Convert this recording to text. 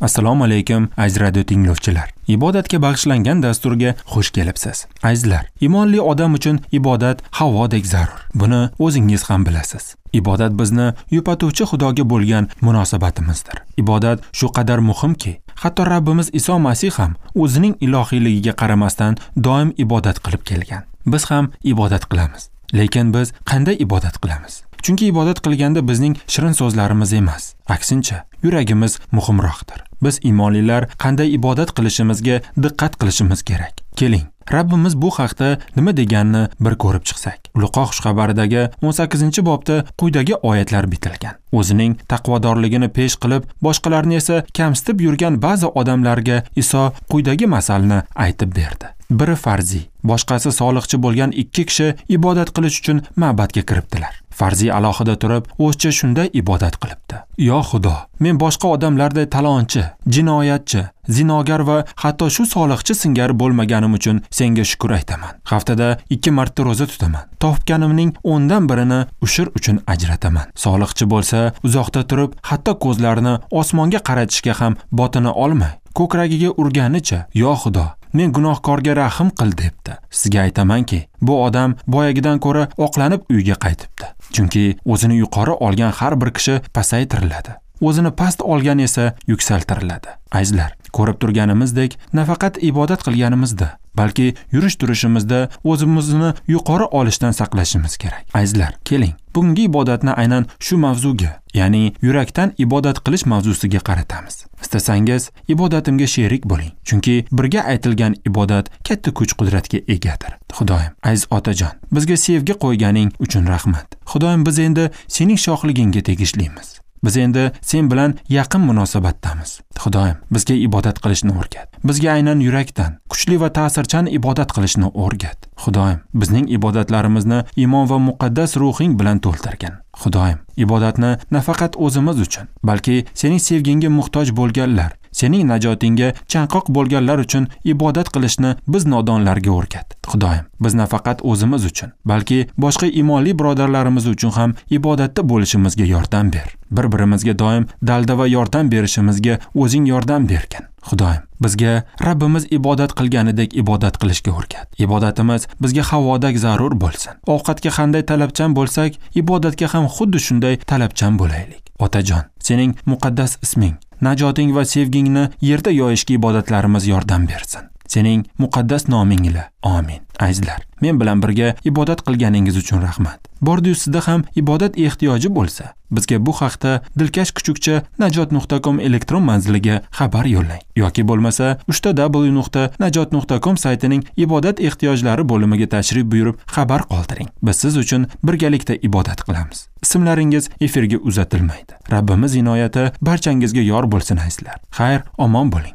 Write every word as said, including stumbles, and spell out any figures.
Assalomu alaykum aziz radio tinglovchilar. Ibodatga bag'ishlangan dasturga xush kelibsiz. Azizlar, iymonli odam uchun ibodat havodek zarur. Buni o'zingiz ham bilasiz. Ibodat bizni yupatuvchi Xudoga bo'lgan munosabatimizdir. Ibodat shu qadar muhimki, hatto Rabbimiz Iso Masih ham o'zining ilohiyligiga qaramasdan doim ibodat qilib kelgan. Biz ham ibodat qilamiz. Lekin biz qanday ibodat qilamiz? Chunki ibodat qilganda bizning shirin so'zlarimiz emas, aksincha yuragimiz muhimroqdir. Biz iymonlilar qanday ibodat qilishimizga diqqat qilishimiz kerak. Keling, Rabbimiz bu haqda nima deganini bir ko'rib chiqsak. Luqo xushxabaridagi o'n sakkizinchi bobda quyidagi oyatlar bitilgan. O'zining taqvodorligini pesh qilib, boshqalarni esa kamsitib yurgan ba'zi odamlarga Iso quyidagi masalni aytib berdi. Biri farziy, boshqasi soliqchi bo'lgan ikki kishi ibodat qilish uchun ma'badga kiribdilar. Farziy alohida turib, o'zcha shunday ibodat qilibdi. Yo Xudo, men boshqa odamlarday talonchi, jinoyatchi, zinogar va hatto shu soliqchi singari bo'lmaganim uchun senga shukr aytaman. Haftada ikki marta ro'za tutaman. Topganimning o'ndan birini ushur uchun ajrataman. Soliqchi bo'lsa, uzoqda turib, hatto ko'zlarini osmonga qaratishga ham botina olmay, ko'kragiga urganicha, yo Xudo, men gunohkorga rahim qil debdi. Sizga aytamanki, bu odam boyagidan ko'ra oqlanib uyga qaytibdi. Chunki o'zini yuqori olgan har bir kishi pasaytiriladi. O'zini past olgan esa yuksaltiriladi. Azizlar, ko'rib turganimizdek, nafaqat ibodat qilganimizda, balki yurish turishimizda o'zimizni yuqori olishdan saqlashimiz kerak. Azizlar, keling, bugungi ibodatni aynan shu mavzuga, ya'ni yurakdan ibodat qilish mavzusiga qaratamiz. Istasangiz, ibodatimga sherik bo'ling, chunki birga aytilgan ibodat katta kuch-qudratga egadir. Xudoyim, aziz otajon, bizga sevgi qo'yganing uchun rahmat. Xudoyim, biz endi sening shohligingga tegishlimiz. Biz endi sen bilan yaqin munosabatdamiz. Xudoyim, bizga ibodat qilishni o'rgat. Bizga aynan yurakdan, kuchli va ta'sirchan ibodat qilishni o'rgat. Xudoyim, bizning ibodatlarimizni iymon va muqaddas ruhing bilan to'ldirgin. Xudoyim, ibodatni nafaqat o'zimiz uchun, balki sening sevgingga muhtoj bo'lganlar, sening najotingga chanqoq bo'lganlar uchun ibodat qilishni biz nodonlarga o'rgat. Xudoyim, biz nafaqat o'zimiz uchun, balki boshqa iymonli birodarlarimiz uchun ham ibodatda bo'lishimizga yordam ber. Bir-birimizga doim dalda va yordam berishimizga o'zing yordam bergin. Xudoyim, bizga Rabbimiz ibodat qilganidek ibodat qilishga o'rgat. Ibodatimiz bizga havodek zarur bo'lsin. Ovqatga qanday talabchan bo'lsak, ibodatga ham xuddi shunday talabchan bo'laylik. Otajon, sening muqaddas isming, najoting va sevgingni yerda yoyishga ibodatlarimiz yordam bersin. Sening muqaddas noming ila. Amin. Azizlar, men bilan birga ibodat qilganingiz uchun rahmat. Bordi-yu sizda ham ibodat ehtiyoji bo'lsa, bizga bu haqda dilkash kuchukcha najot nuqta com elektron manziliga xabar yo'llang yoki bo'lmasa uch ta w nuqta najot nuqta com saytining ibodat ehtiyojlari bo'limiga tashrif buyurib xabar qoldiring. Biz siz uchun birgalikda ibodat qilamiz. Ismlaringiz efirga uzatilmaydi. Rabbimiz inoyati barchangizga yor bo'lsin azizlar. Xayr, omon bo'ling.